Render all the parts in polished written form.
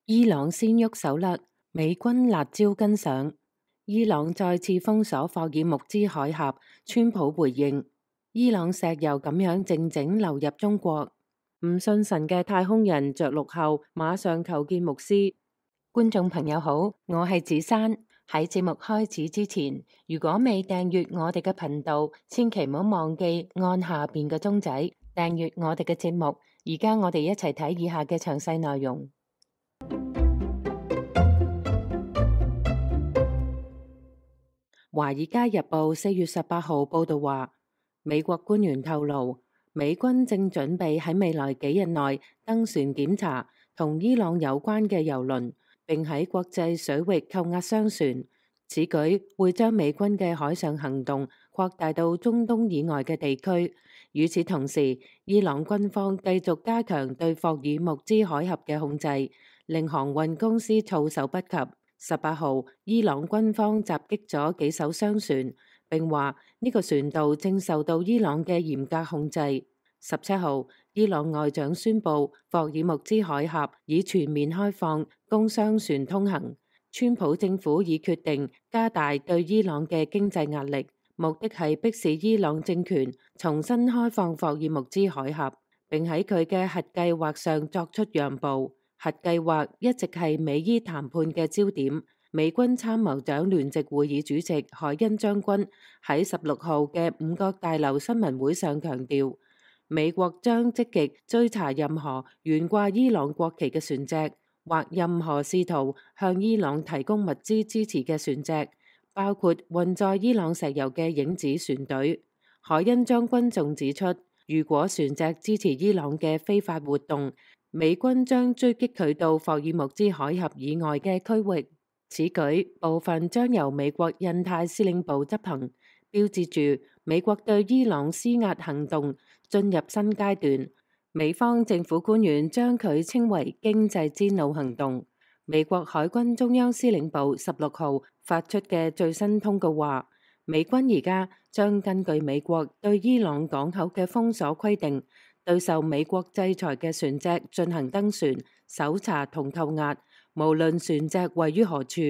伊朗先喐手啦，美軍辣招跟上。伊朗再次封鎖霍爾木茲海峽，川普回應：伊朗石油咁樣靜靜流入中國。唔信神嘅太空人着陸後，馬上求見牧師。觀眾朋友好，我係子珊。喺節目開始之前，如果未訂閱我哋嘅頻道，千祈唔好忘記按下邊嘅鐘仔訂閱我哋嘅節目。而家我哋一齊睇以下嘅詳細內容。《華爾街日報》4月18號報道話，美國官員透露，美軍正準備喺未來幾日內登船檢查同伊朗有關嘅油輪，並喺國際水域扣押商船。此舉會將美軍嘅海上行動擴大到中東以外嘅地區。與此同時，伊朗軍方繼續加強對霍爾木茲海峽嘅控制，令航運公司措手不及。18號，伊朗軍方襲擊咗幾艘商船，並話呢個船道正受到伊朗嘅嚴格控制。17號，伊朗外長宣布霍爾木茲海峽已全面開放，供商船通行。川普政府已決定加大對伊朗嘅經濟壓力，目的係迫使伊朗政權重新開放霍爾木茲海峽，並喺佢嘅核計劃上作出讓步。核計劃一直係美伊談判嘅焦點。美軍參謀長聯席會議主席海恩將軍喺16號嘅五角大樓新聞會上強調，美國將積極追查任何懸掛伊朗國旗嘅船隻，或任何試圖向伊朗提供物資支持嘅船隻，包括運載伊朗石油嘅影子船隊。海恩將軍仲指出，如果船隻支持伊朗嘅非法活動，美軍將追擊佢到霍爾木茲海峽以外嘅區域。此舉部分將由美國印太司令部執行，標誌住美國對伊朗施壓行動進入新階段。美方政府官員將佢稱為經濟之怒行動。美國海軍中央司令部16號發出嘅最新通告話，美軍而家將根據美國對伊朗港口嘅封鎖規定，對受美國制裁嘅船隻進行登船、搜查同扣押，無論船隻位於何處。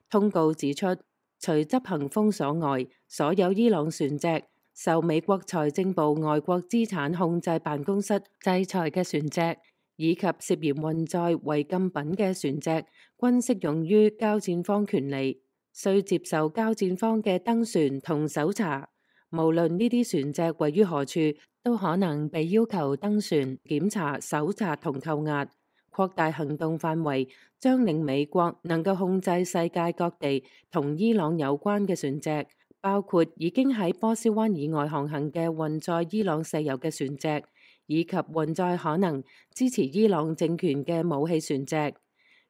通告指出，除執行封鎖外，所有伊朗船隻受美國財政部外國資產控制辦公室制裁嘅船隻，以及涉嫌運載違禁品嘅船隻，均適用於交戰方權利，需接受交戰方嘅登船同搜查。無論呢啲船隻位於何處，都可能被要求登船、檢查、搜查同扣押。擴大行動範圍將令美國能夠控制世界各地同伊朗有關嘅船隻，包括已經喺波斯灣以外航行嘅運載伊朗石油嘅船隻，以及運載可能支持伊朗政權嘅武器船隻。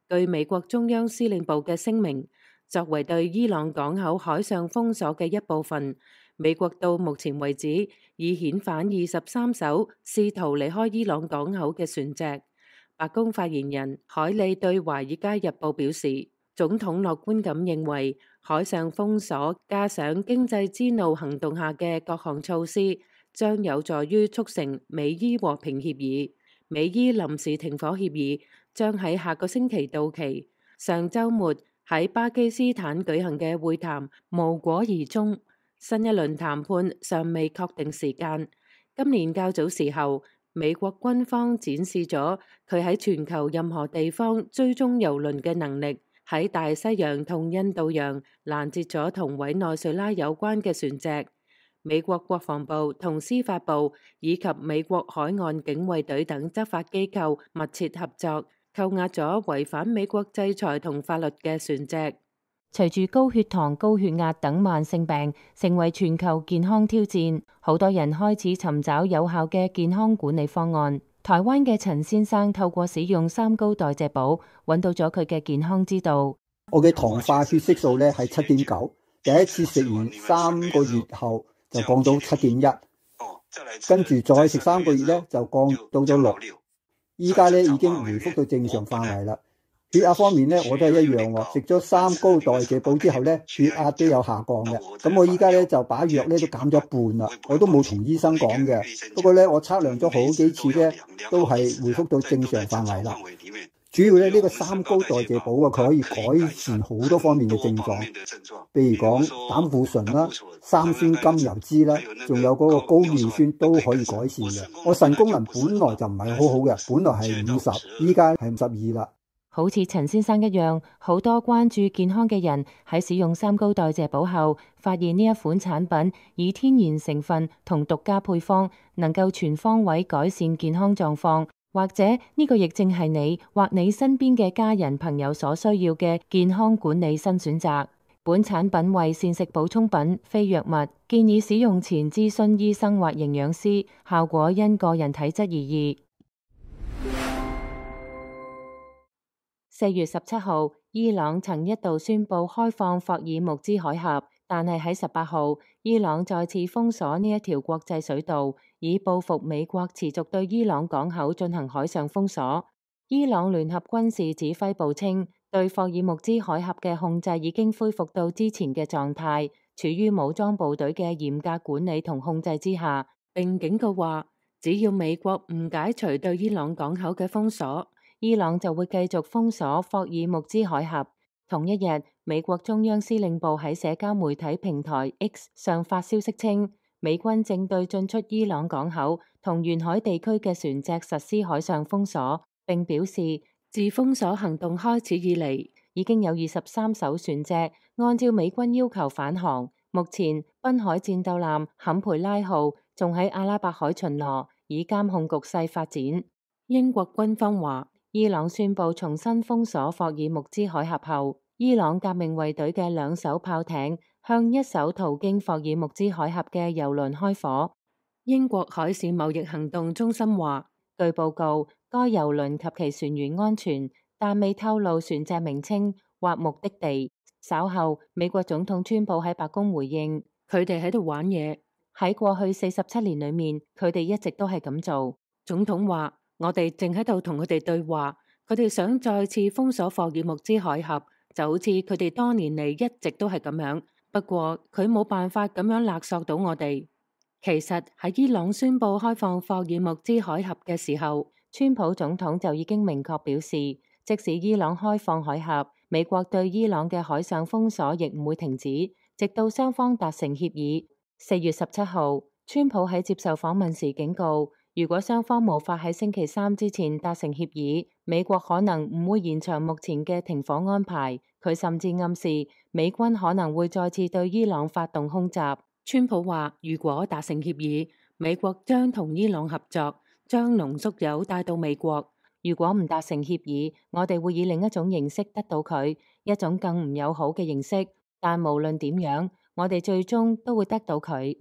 據美國中央司令部嘅聲明，作為對伊朗港口海上封鎖嘅一部分，美國到目前為止已遣返23艘試圖離開伊朗港口嘅船隻。白宮發言人凱利對《華爾街日報》表示，總統樂觀咁認為，海上封鎖加上經濟之怒行動下嘅各項措施，將有助於促成美伊和平協議。美伊臨時停火協議將喺下個星期到期。上週末喺巴基斯坦舉行嘅會談無果而終，新一輪談判尚未確定時間。今年較早時候，美國軍方展示咗佢喺全球任何地方追蹤油輪嘅能力，喺大西洋同印度洋攔截咗同委內瑞拉有關嘅船隻。美國國防部同司法部以及美國海岸警衛隊等執法機構密切合作，扣押咗違反美國制裁同法律嘅船隻。隨住高血糖、高血壓等慢性病成為全球健康挑戰，好多人開始尋找有效嘅健康管理方案。台灣嘅陳先生透過使用三高代謝寶，揾到咗佢嘅健康之道。我嘅糖化血色素咧係7.9，第一次食完3個月後就降到7.1，跟住再食3個月咧就降到咗6，依家咧已經回復到正常範圍啦。血壓方面咧，我都係一樣喎。食咗三高代謝寶之後咧，血壓都有下降嘅。咁我依家咧就把藥咧都減咗一半啦。我都冇同醫生講嘅。不過咧，我測量咗好幾次咧，都係回復到正常範圍啦。主要咧呢個三高代謝寶啊，佢可以改善好多方面嘅症狀，譬如講膽固醇啦、三酸甘油脂啦，仲有嗰個高尿酸都可以改善嘅。我腎功能本來就唔係好好嘅，本來係50，依家係52啦。好似陳先生一樣，好多關注健康嘅人喺使用三高代謝寶後，發現呢一款產品以天然成分同獨家配方，能夠全方位改善健康狀況，或者呢個亦正係你或你身邊嘅家人朋友所需要嘅健康管理新選擇。本產品為膳食補充品，非藥物，建議使用前諮詢醫生或營養師，效果因個人體質而異。4月17號，伊朗曾一度宣布開放霍爾木茲海峽，但係喺18號，伊朗再次封鎖呢一條國際水道，以報復美國持續對伊朗港口進行海上封鎖。伊朗聯合軍事指揮部稱，對霍爾木茲海峽嘅控制已經恢復到之前嘅狀態，處於武裝部隊嘅嚴格管理同控制之下，並警告話，只要美國唔解除對伊朗港口嘅封鎖，伊朗就會繼續封鎖霍爾木茲海峽。同一日，美國中央司令部喺社交媒體平台 X 上發消息稱，美軍正對進出伊朗港口同沿海地區嘅船隻實施海上封鎖，並表示自封鎖行動開始以嚟，已經有23艘船隻按照美軍要求返航。目前，濱海戰鬥艦坎培拉號仲喺阿拉伯海巡邏，以監控局勢發展。英國軍方話，伊朗宣布重新封鎖霍爾木茲海峽後，伊朗革命衛隊嘅2艘炮艇向一艘途經霍爾木茲海峽嘅油輪開火。英國海事貿易行動中心話，據報告，該油輪及其船員安全，但未透露船隻名稱或目的地。稍後，美國總統川普喺白宮回應，佢哋喺度玩嘢。喺過去47年裏面，佢哋一直都係咁做。總統話，我哋正喺度同佢哋對話，佢哋想再次封鎖霍爾木茲海峽，就好似佢哋多年嚟一直都係咁樣。不過佢冇辦法咁樣勒索到我哋。其實喺伊朗宣布開放霍爾木茲海峽嘅時候，川普總統就已經明確表示，即使伊朗開放海峽，美國對伊朗嘅海上封鎖亦唔會停止，直到雙方達成協議。4月17號，川普喺接受訪問時警告，如果雙方無法喺星期3之前達成協議，美國可能唔會延長目前嘅停火安排。佢甚至暗示美軍可能會再次對伊朗發動空襲。川普話，如果達成協議，美國將同伊朗合作，將濃縮鈾帶到美國。如果唔達成協議，我哋會以另一種形式得到佢，一種更唔友好嘅形式。但無論點樣，我哋最終都會得到佢。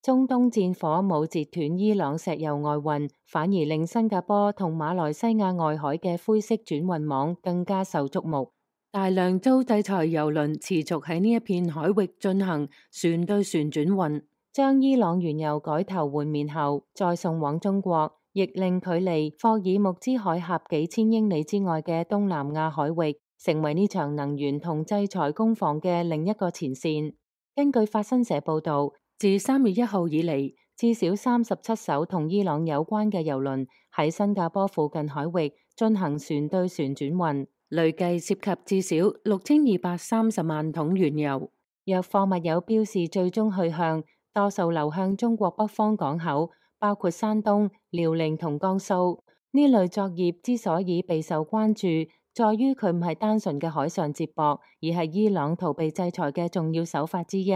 中東戰火冇截斷伊朗石油外運，反而令新加坡同馬來西亞外海嘅灰色轉運網更加受矚目。大量遭制裁油輪持續喺呢一片海域進行船對船轉運，將伊朗原油改頭換面後再送往中國，亦令距離霍爾木茲海峽幾千英里之外嘅東南亞海域成為呢場能源同制裁攻防嘅另一個前線。根據法新社報導，自3月1號以嚟，至少37艘同伊朗有關嘅油輪喺新加坡附近海域進行船對船轉運，累計涉及至少6230萬桶原油。若貨物有標示最終去向，多數流向中國北方港口，包括山東、遼寧同江蘇。呢類作業之所以備受關注，在於佢唔係單純嘅海上接駁，而係伊朗逃避制裁嘅重要手法之一。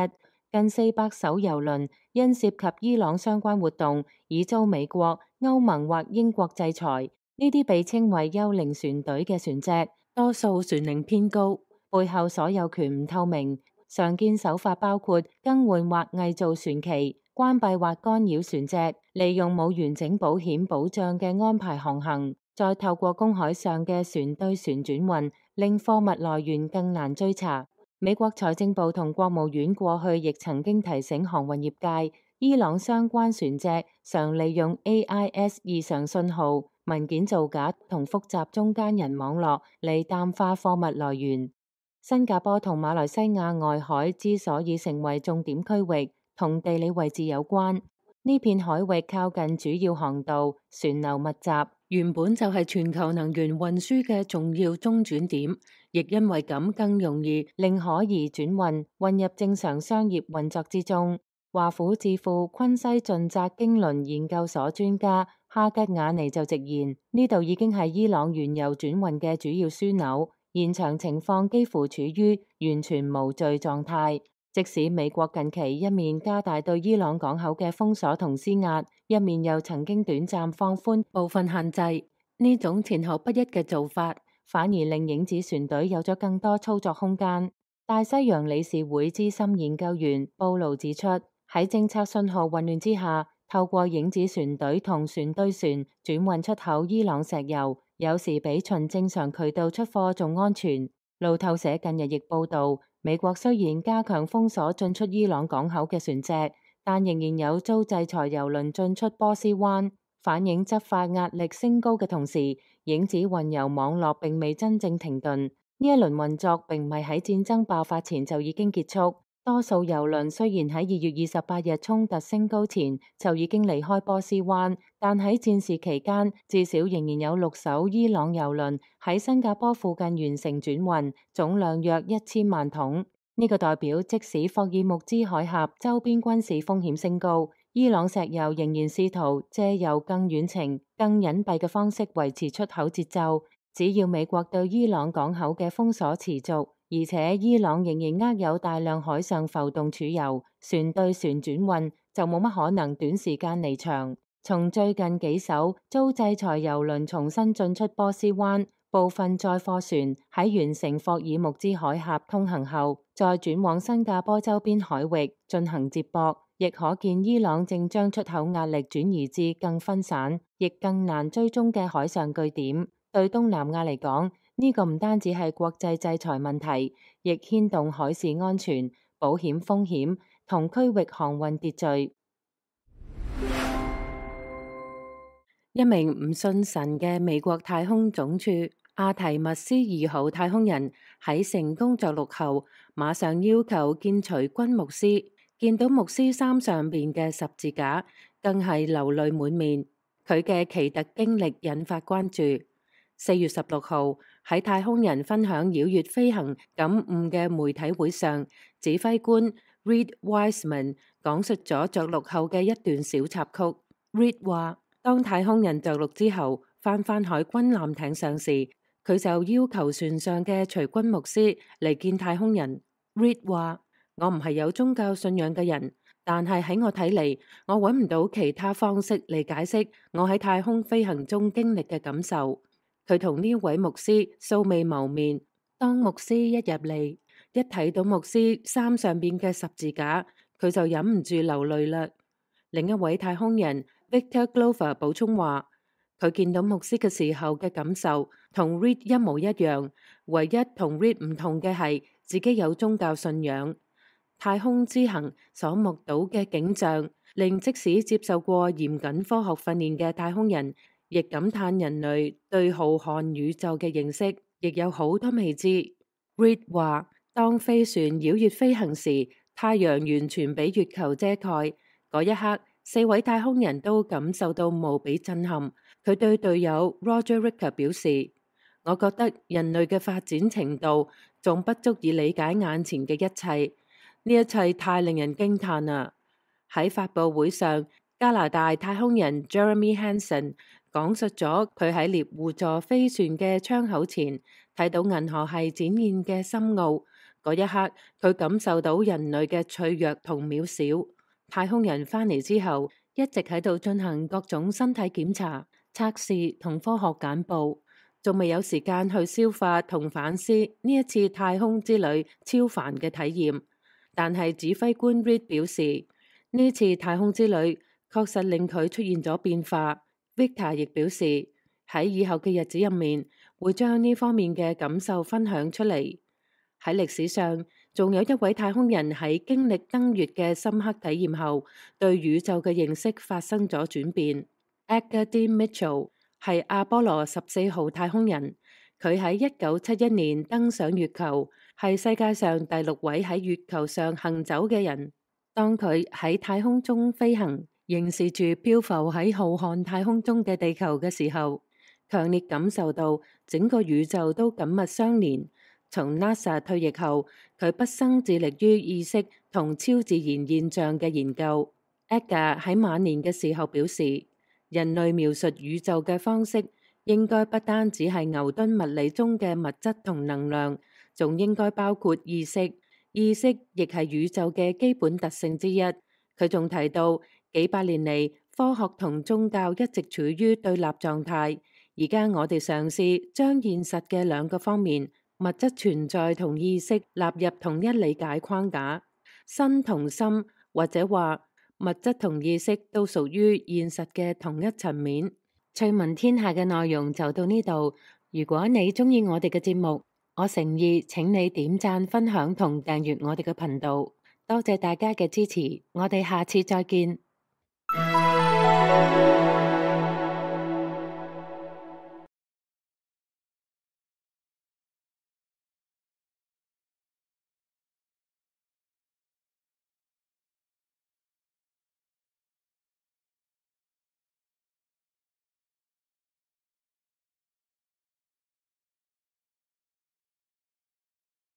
近400艘油輪因涉及伊朗相關活動，已遭美國、歐盟或英國制裁。呢啲被稱為幽靈船隊嘅船隻，多數船齡偏高，背後所有權唔透明。常見手法包括更換或偽造船旗、關閉或干擾船隻，利用冇完整保險保障嘅安排航行，再透過公海上嘅船對船轉運，令貨物來源更難追查。美國財政部同國務院過去亦曾經提醒航運業界，伊朗相關船隻常利用 AIS 異常信號、文件造假同複雜中間人網絡嚟淡化貨物來源。新加坡同馬來西亞外海之所以成為重點區域，同地理位置有關。呢片海域靠近主要航道，船流密集，原本就係全球能源運輸嘅重要中轉點，亦因為咁更容易令可疑轉運混入正常商業運作之中。華府智庫昆西盡責經輪研究所專家哈吉雅尼就直言，呢度已經係伊朗原油轉運嘅主要樞紐，現場情況幾乎處於完全無序狀態。即使美國近期一面加大對伊朗港口嘅封鎖同施壓，一面又曾經短暫放寬部分限制，呢種前後不一嘅做法，反而令影子船隊有咗更多操作空間。大西洋理事會資深研究員布魯指出，喺政策信號混亂之下，透過影子船隊同船對船轉運出口伊朗石油，有時比循正常渠道出貨仲安全。路透社近日亦報道，美國雖然加強封鎖進出伊朗港口嘅船隻，但仍然有遭制裁油輪進出波斯灣，反映執法壓力升高嘅同時，影子運油網絡並未真正停頓。呢一輪運作並唔係喺戰爭爆發前就已經結束。多數油輪雖然喺2月28日衝突升高前就已經離開波斯灣，但喺戰事期間，至少仍然有6艘伊朗油輪喺新加坡附近完成轉運，總量約1000萬桶。呢個代表即使霍爾木茲海峽周邊軍事風險升高，伊朗石油仍然試圖借由更遠程、更隱蔽嘅方式維持出口節奏。只要美國對伊朗港口嘅封鎖持續，而且伊朗仍然握有大量海上浮動儲油，船對船轉運就冇乜可能短時間離場。從最近幾艘遭制裁油輪重新進出波斯灣，部分載貨船喺完成霍爾木茲海峽通行後，再轉往新加坡周邊海域進行接駁，亦可見伊朗正將出口壓力轉移至更分散，亦更難追蹤嘅海上據點。對東南亞嚟講，呢個唔單止係國際制裁問題，亦牽動海事安全、保險風險同區域航運秩序。一名唔信神嘅美國太空總署阿提密斯2號太空人喺成功着陸後，馬上要求見隨軍牧師，見到牧師衫上邊嘅十字架，更係流淚滿面。佢嘅奇特經歷引發關注。4月16號喺太空人分享繞月飛行感悟嘅媒體會上，指揮官 Reed Wiseman 講述咗着陸後嘅一段小插曲。Reed 話，當太空人着陸之後，返海軍艦艇上時，佢就要求船上嘅隨軍牧師嚟見太空人。Reed 話，我唔係有宗教信仰嘅人，但係喺我睇嚟，我揾唔到其他方式嚟解釋我喺太空飛行中經歷嘅感受。佢同呢位牧師素未謀面，當牧師一入嚟，一睇到牧師衫上邊嘅十字架，佢就忍唔住流淚啦。另一位太空人 Victor Glover 補充話，佢見到牧師嘅時候嘅感受同 Reed 一模一樣，唯一同 Reed 唔同嘅係自己有宗教信仰。太空之行所目睹嘅景象，令即使接受過嚴謹科學訓練嘅太空人，亦感嘆人類對浩瀚宇宙嘅認識，亦有好多未知。Reed 話，當飛船繞月飛行時，太陽完全俾月球遮蓋。嗰一刻，4位太空人都感受到無比震撼。佢對隊友 Roger Ricker 表示，我覺得人類嘅發展程度仲不足以理解眼前嘅一切，呢一切太令人驚嘆啦。喺發佈會上，加拿大太空人 Jeremy Hansen 講述咗佢喺獵戶座飛船嘅窗口前睇到銀河系展現嘅深奧。嗰一刻，佢感受到人類嘅脆弱同渺小。太空人返嚟之後，一直喺度進行各種身體檢查、測試同科學簡報，仲未有時間去消化同反思呢一次太空之旅超凡嘅體驗。但係指揮官 Reed 表示，呢次太空之旅確實令佢出現咗變化。Victor 亦表示，喺以後嘅日子入面，會將呢方面嘅感受分享出嚟。喺歷史上，仲有一位太空人喺經歷登月嘅深刻體驗後，對宇宙嘅認識發生咗轉變。Edgar D. Mitchell 係阿波羅14號太空人，佢喺1971年登上月球，係世界上第6位喺月球上行走嘅人。當佢喺太空中飛行，凝視住漂浮喺浩瀚太空中嘅地球嘅時候，強烈感受到整個宇宙都緊密相連。從 NASA 退役後，佢畢生致力於意識同超自然現象嘅研究。Edgar 喺晚年嘅時候表示，人類描述宇宙嘅方式應該不單只係牛頓物理中嘅物質同能量，仲應該包括意識。意識亦係宇宙嘅基本特性之一。佢仲提到，幾百年嚟，科學同宗教一直處於對立狀態。而家我哋嘗試將現實嘅兩個方面，物質存在同意識納入同一理解框架。身同心，或者話物質同意識都屬於現實嘅同一層面。趣聞天下嘅內容就到呢度。如果你鍾意我哋嘅節目，我誠意請你點讚、分享同訂閱我哋嘅頻道。多謝大家嘅支持，我哋下次再見。